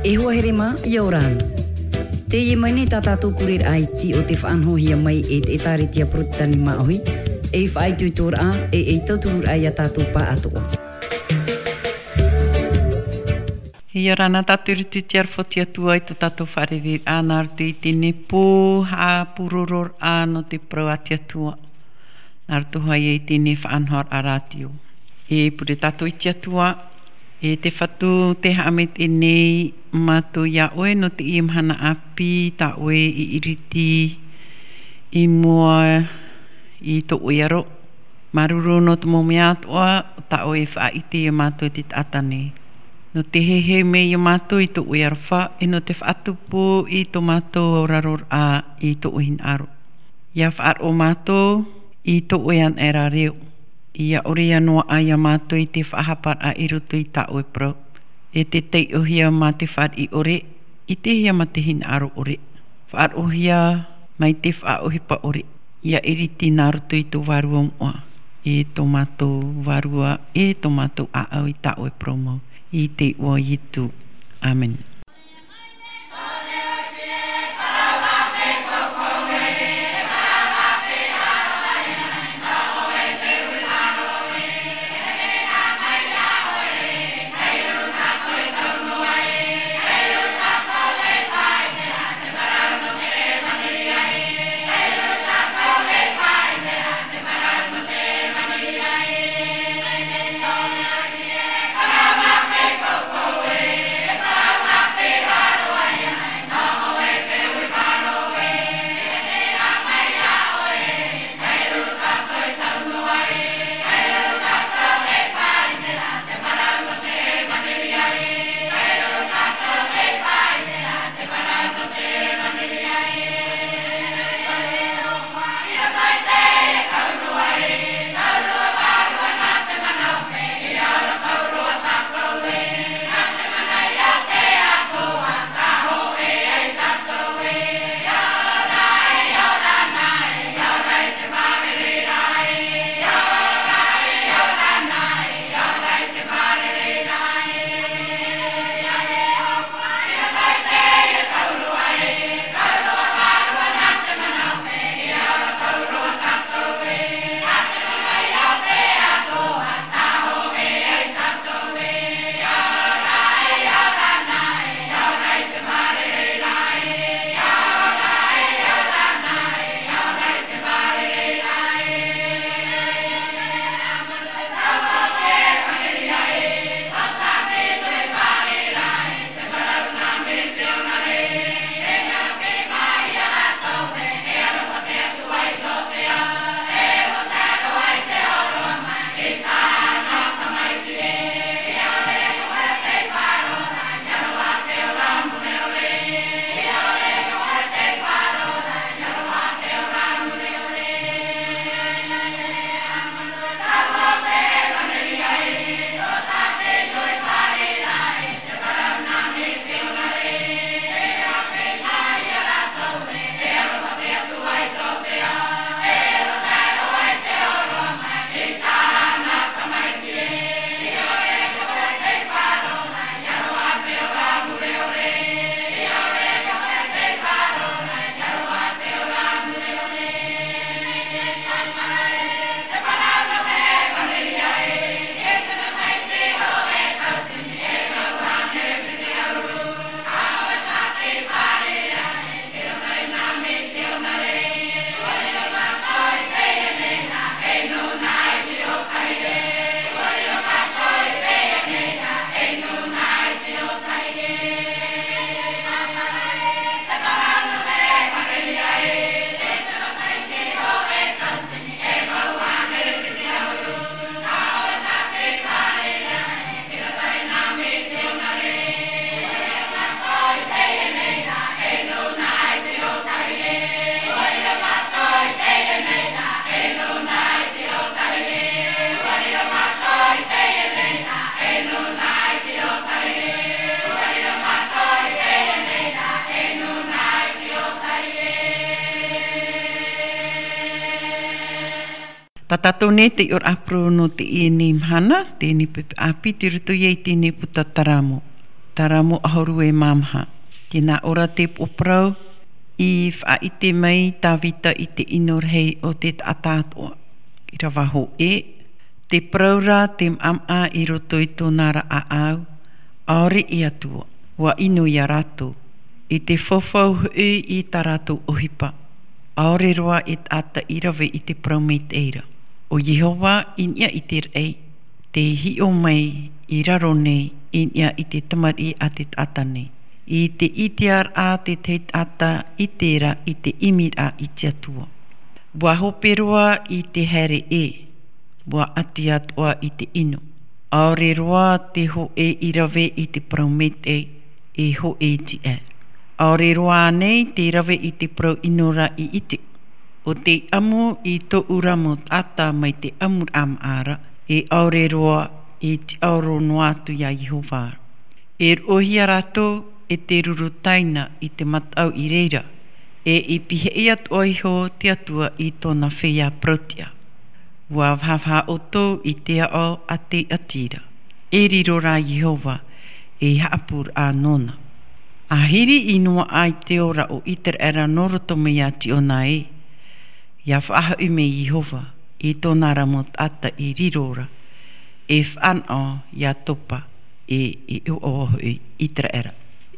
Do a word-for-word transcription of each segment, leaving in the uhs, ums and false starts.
E hoa here mā, ʻia ora na. Teie mai nei tā tātou pureraʻa iti o te faʻanahohia mai e te ʻĒtārētia Porotitani Māʻohi, ei faʻaitoitoraʻa, e ei tauturuʻa ia tātou pāʻatoʻa. ʻIa ora na tātou i roto i te aroha o te Atua i tō tātou fārereiraʻa, nā roto i teie nei pō haʻapurororaʻa nō te parau a te Atua. Nā roto hoʻi i teie nei faʻanahoraʻa rātio. E pure tātou i te Atua, e te Fatu, tē haʻamaitaʻi nei mātou iā ʻoe nō teie mahana ʻāpī, tā ʻoe i ʻiriti i mua i tō ʻoe aro. Māuruuru nō te mau mea atoʻa, tā ʻoe e faʻaʻite iā mātou i te taʻata nei. Nō te heheu mai iā mātou i tō ʻoe aroha, e nō te faʻatupu i tō mātou auraroraʻa i tō ʻoe hinaʻaro. ʻIa faʻaroʻo mātou i tō ʻoe anaʻe ra reo. ʻIa ʻore ʻia noaʻa iā mātou i te faʻahaparaʻa i roto i tā ʻoe parau. E te taiʻohia mā te fāriʻi ʻore, ʻitehia mā te hinaʻaro ʻore. Faʻaroʻohia mai te faʻaʻohipa ʻore. ʻIa ʻiriti nā roto i tō Vārua moʻa. E tō mātou Vārua, e tō mātou ʻāʻau i tā ʻoe parau mau. I te iʻoa o Ietu. ʻĀmene. Tā tātou nei te ʻoroʻa parau nō teie nei mahana, teie nei pepe ʻāpī, tei roto ia i teie nei puta Taramo. Tāramu ʻahuru e mā maha. Tē nā ʻō ra te upoʻo parau, i faʻaʻite mai Tāvita i te ʻino rahi o te taʻata atoʻa. ʻĪrava hōʻē, te parau ra te maʻamaʻa i roto i tōna ra ʻāʻau, ʻaore e Atua, ʻua ʻino ia rātou, i te fafau hoʻi i tā rātou ʻohipa, ʻaore roa e taʻata i rave i te parau maitaʻi ra. ʻO Iehova i niʻa i te raʻi, tei hiʻo mai i raro nei i niʻa i te tamariʻi a te taʻata nei. I te ʻiteraʻa te tahi taʻata i terā i te ʻimiraʻa i te Atua. ʻUa hope roa i te haere ʻē, ʻua ʻati atoʻa i te ʻino. ʻAore roa te hōʻē i rave i te parau maitaʻi, e hōʻē tiʻa. ʻAore roa ānei te rave i te parau ʻino ra i ʻite. ʻO tei ʻamu i tōʻu ra mau taʻata mai te ʻamuraʻa maʻa ra, e ʻaore roa e tiʻaoro noa atu ia Iehova. E roʻohia rātou e te ruru taina i te mataʻu i reira, e i pihaʻi atoʻa iho te Atua i tōna feiā parau-tiʻa. ʻUa vahavaha ʻoutou i te aʻo a te ʻati ra, e riro rā Iehova, e haʻapūraʻa nōna. ʻA hiri i noaʻa i te ora o ʻĪteraʻera nō roto mai iā Tiona ē, ʻia faʻahoʻi mai Iehova i tōna ra mau taʻata i riro ra, e fānaʻo iā Topa, e, e ʻoaʻoa hoʻi ʻĪteraʻera.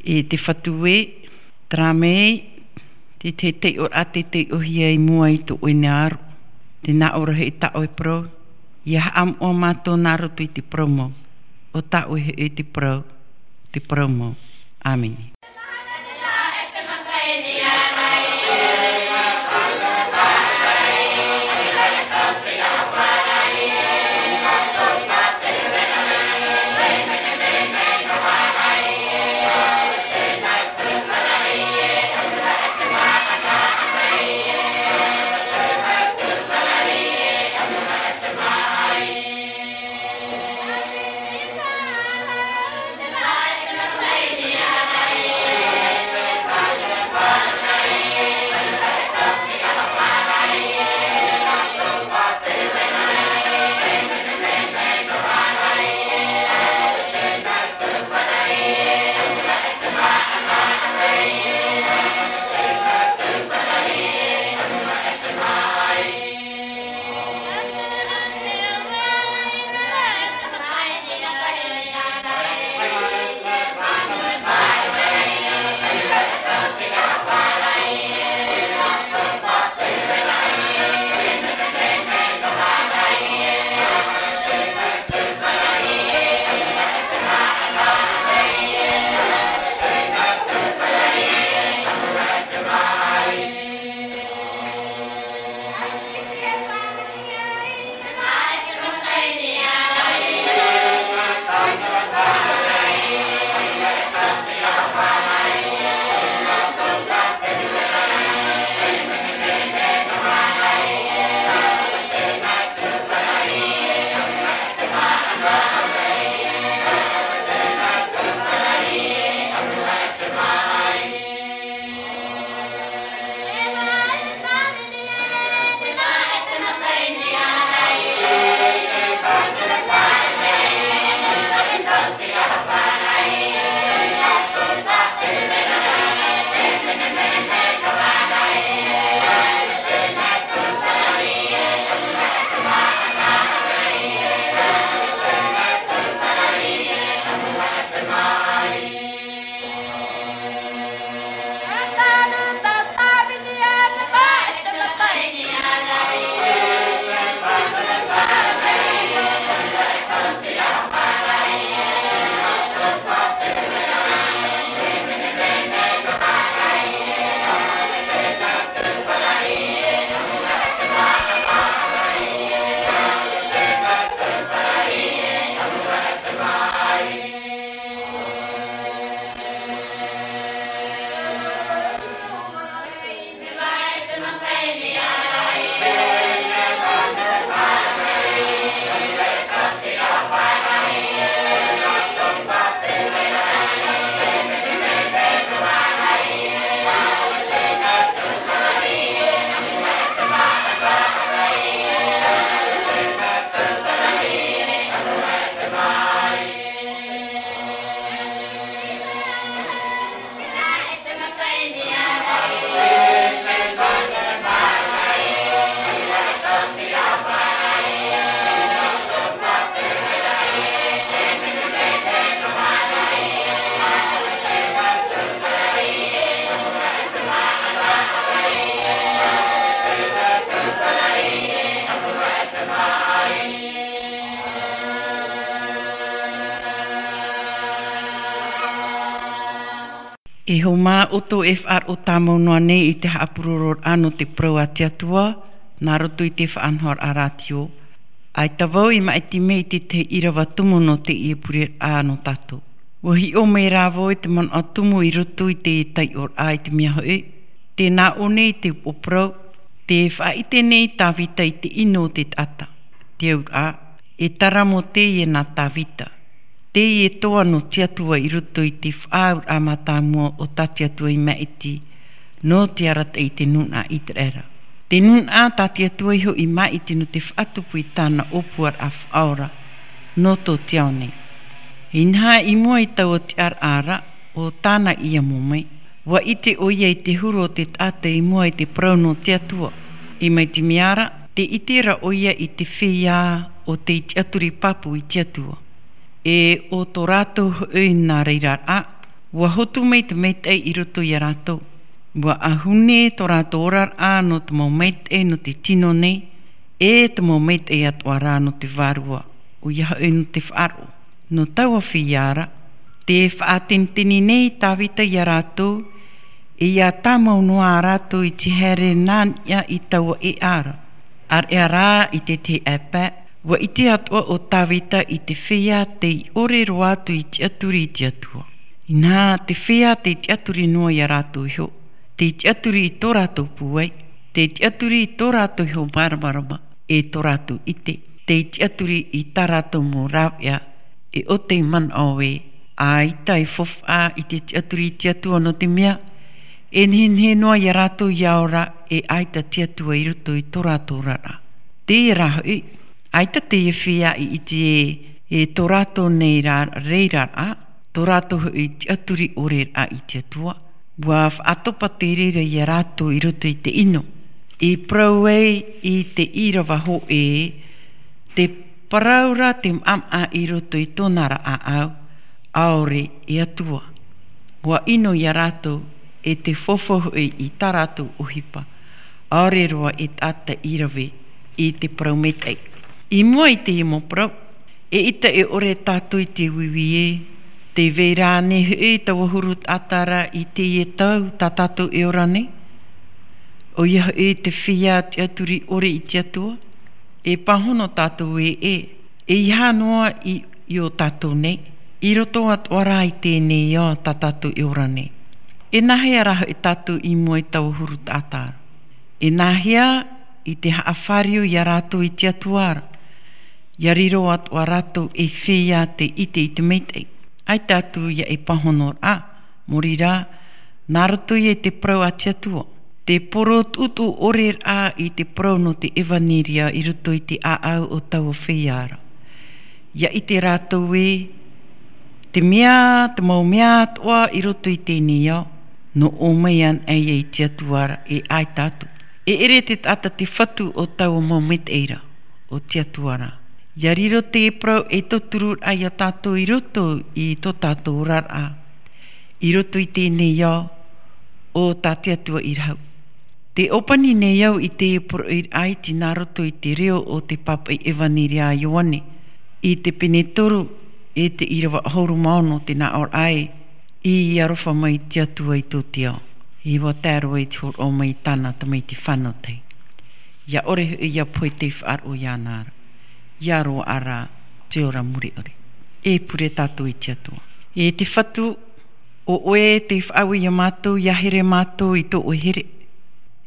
E te Fatu ē, terā mai te tahi taiʻoraʻa tei taiʻohia i mua i tō ʻoe nei aro. Tē nā ʻō ra hoʻi tā ʻoe parau, ʻia haʻamoʻa mātou nā roto i te parau mau. ʻO tā ʻoe hoʻi te parau, te parau mau. ʻĀmene. E hōmā ʻoutou e faʻaroʻo tāmau noa nei i te haʻapurororaʻa nō te parau a te Atua, nā roto i te faʻanahoraʻa rātio. ʻAita vau i māʻiti mai i te tahi ʻīrava tumu nō teie pureraʻa nō tātou. ʻUa hiʻo mai rā vau i te manaʻo tumu i roto i te taiʻoraʻa i te mea hoʻi, tē nā ʻō nei te upoʻo parau, tē faʻaʻite nei Tāvita i te ʻino o te taʻata. Te auraʻa, e tara mō teie nā Tāvita. Teie toa nō te Atua i roto i te faʻaauraʻa mātāmua o tā te Atua i māʻiti, nō te arataʻi i te nūnaʻa ʻĪteraʻera. Te nūnaʻa tā te Atua iho i māʻiti nō te faʻatupu i tāna ʻōpuaraʻa faʻaora, nō tō te ao nei. Inaha i mua i taua tiʻaraʻa ra, ʻo tāna i amo mai. ʻUa ʻite ʻoia i te huru o te taʻata i mua i te parau nō te Atua. E mai te mea ra, tē ʻite ra ʻoia i te feiā o tei tiʻaturi pāpū i te Atua. E ʻo tō rātou hoʻi nā reira rā, ʻua hotu mai te maitaʻi i roto ia rātou. ʻUa ʻahune tō rātou oraraʻa nō te mau maitaʻi nō te tino nei, e te mau maitaʻi atoʻa rā nō te vārua, ʻoia hoʻi nō te faʻaroʻo. Nō taua feiā ra, tē faʻateniteni nei Tāvita ia rātou, e ʻia tāmau noa rātou i te haere nā niʻa i taua ʻēʻa ra. ʻAreʻa rā i te tahi ʻāpae, ʻua ʻite atoʻa ʻo Tāvita i te feiā tei ʻore roa atu i tiʻaturi i te Atua. Inaha, te feiā tei tiʻaturi noa ia rātou iho, tei tiʻaturi i tō rātou pūai, tei tiʻaturi i tō rātou iho māramarama, e tō rātou ʻite, tei tiʻaturi i tā rātou mau rāveʻa, e ʻo tei manaʻo ē, ʻaita e faufaʻa i te tiʻaturi i te Atua nō te mea, e nehenehe noa ia rātou ʻia ora, e ʻaita te Atua i roto i tō rātou oraraʻa. Teie rā hoʻi, ʻaita teie feiā i ʻite ē, e tō rātou nei rā, reira rā, tō rātou hoʻi tiʻaturi ʻore rā i te Atua, ʻua faʻatopa te reira ia rātou i roto i te ʻino. I parau ai i te ʻīrava hōʻē, te parau ra te maʻamaʻa i roto i tōna ra ʻāʻau, ʻaore e Atua. ʻUa ʻino ia rātou, e te faufaʻa hoʻi i tā rātou ʻohipa, ʻaore roa e taʻata i rave i te parau maitaʻi. I mua i teie mau parau, eʻita e ʻore tātou i te uiui ē, tē vai ra ānei hoʻi taua huru taʻata ra i teie tau tā tātou e ora nei? ʻOia hoʻi te feiā tiʻaturi ʻore i te Atua, e pāhono tātou ē, e, eiaha noa i, i ō tātou nei, i roto atoʻa rā i teie nei ao tā tātou e ora nei. E nāhea rā hoʻi tātou i mua i taua huru taʻata ra? E nāhea i te haʻafāriu ia rātou i te Atua ra? ʻIa riro atoʻa rātou ei feiā tei ʻite i te maitaʻi. ʻAita atu ia e pāhono rā, mōrī rā, nā roto ia i te parau a te Atua. Te poro tuʻutuʻu ʻore rā i te parau nō te ʻevaneria i roto i te ʻāʻau o taua feiā ra. ʻIa ʻite rātou ē, te mea, te mau mea atoʻa i roto i teie nei ao, nō ʻō mai anaʻe ia i te Atua ra, e ʻaita atu. E ʻere te taʻata te fatu o taua mau maitaʻi ra, o te Atua ra. ʻIa riro te parau e tauturu rā ia tātou i roto i tō tātou oraraʻa, i roto i teie nei ao, ʻo tā te Atua i rahu. Tē ʻōpani nei au i te poroʻi ʻaiti nā roto i te reo o te pāpaʻi ʻevaneria a Ioane, i te pene toru, e te ʻīrava ʻahuru mā ono, tē nā ʻō ra ē, ʻia aroha mai te Atua i tō te ao. ʻIa tae roa i te hōroʻa mai i tāna tamaiti fānau tahi. ʻIa ʻore hoʻi ia pohe tei faʻaroʻo iāna ra. ʻIa roaʻa rā te ora mure ʻore. E pure tātou i te Atua. E te Fatu, ʻo ʻoe tei faʻaue ia mātou, ʻia here mātou i tō ʻoe here.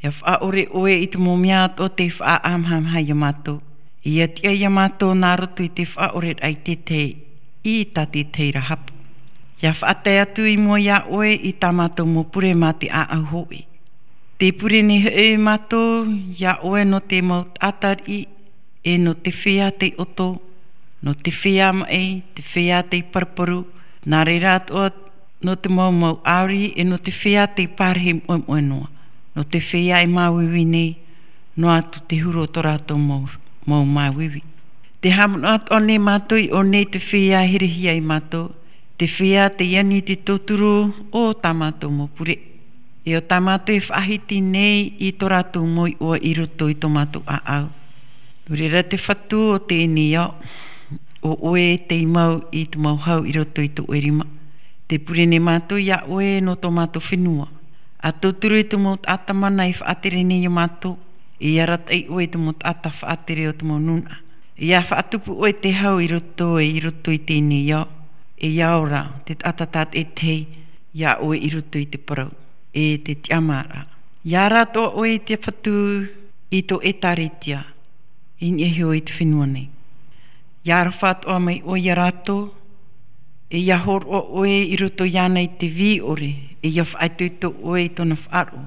ʻIa faʻaʻore ʻoe i te mau mea atoʻa tei faʻaʻamahamaha ia mātou. ʻIa tiʻa ia mātou nā roto i te faʻaʻore i te tahi, i tā te tahi ra hapu. ʻIa faʻatae atu i mua iā ʻoe i tā mātou mau pure mā te ʻāʻau hōʻē. Tē pure nei hoʻi mātou iā ʻoe nō te mau taʻata riʻi, e nō te feiā tei ʻoto, nō te feiā maʻi, te feiā tei paruparu, nā reira atoʻa nō te mau mau ʻāuri, e nō te feiā tei parahi moʻemoʻe noa, nō te feiā e māuiui nei, noa atu te huru o tō rātou mau, mau māuiui. Tē haʻamanaʻo atoʻa nei mātou i ʻō nei te feiā e herehia ia mātou, te feiā tei ani i te tauturu o tā mātou mau pure. E ʻo tā mātou e faʻahiti nei i tō rātou mau iʻoa i roto i tō mātou ʻāʻau. Nō reira te Fatu o teie nei ao, ʻo ʻoe tei mau i te mau hau i roto i tō ʻoe rima. Te pure nei mātou iā ʻoe nō tō mātou fenua. ʻA tauturu i te mau taʻata mana i faʻatere nei iā mātou, e arataʻi ʻoe i te mau taʻata faʻatere o te mau nūnaʻa. E ʻa faʻatupu ʻoe te hau i roto, e i roto i teie nei ao. E ʻia ora te taʻata tātaʻitahi iā ʻoe i roto i te parau, e te tiʻamāraʻa. ʻIa ara atoʻa ʻoe i te Fatu i tō ʻĒtārētia, i niʻa iho i te fenua nei. ʻIa aroha atoʻa mai ʻoe iā rātou, e ʻia hōroʻa ʻoe i roto iāna i te vī ʻore, e ʻia faʻaitoito ʻoe i tōna faʻaroʻo.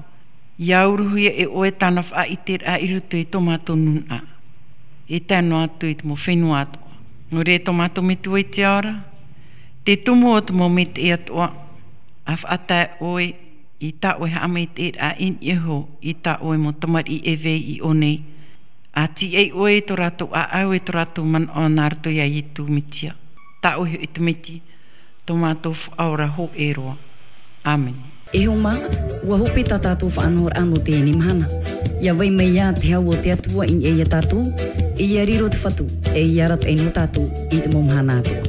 ʻIa uruhia e ʻoe tāna faʻaʻiteraʻa i roto i tō mātou nūnaʻa. E tae noa atu i te mau fenua atoʻa. Nō reira tō mātou Metua i te ao ra, te tumu o te mau maitaʻi atoʻa, ʻa faʻatae ʻoe i tā ʻoe haʻamaitaʻiraʻa i niʻa iho i tā ʻoe mau tamariʻi e vai i ʻō nei. ʻA tīaʻi ʻoe i tō rātou ʻāʻau, i tō rātou manaʻo nā roto iā Ietu Metia. Tā ʻoe hoʻi te Miti, tō mātou Faʻaora hōʻē roa. ʻĀmene. E hoa mā, ʻua hope tā tātou faʻanahoraʻa nō teie mahana. ʻIa vai mai ā te hau o te Atua i niʻa iā tātou, e ʻia riro te Fatu, e ʻia arataʻi nō tātou i te mau mahana atoʻa.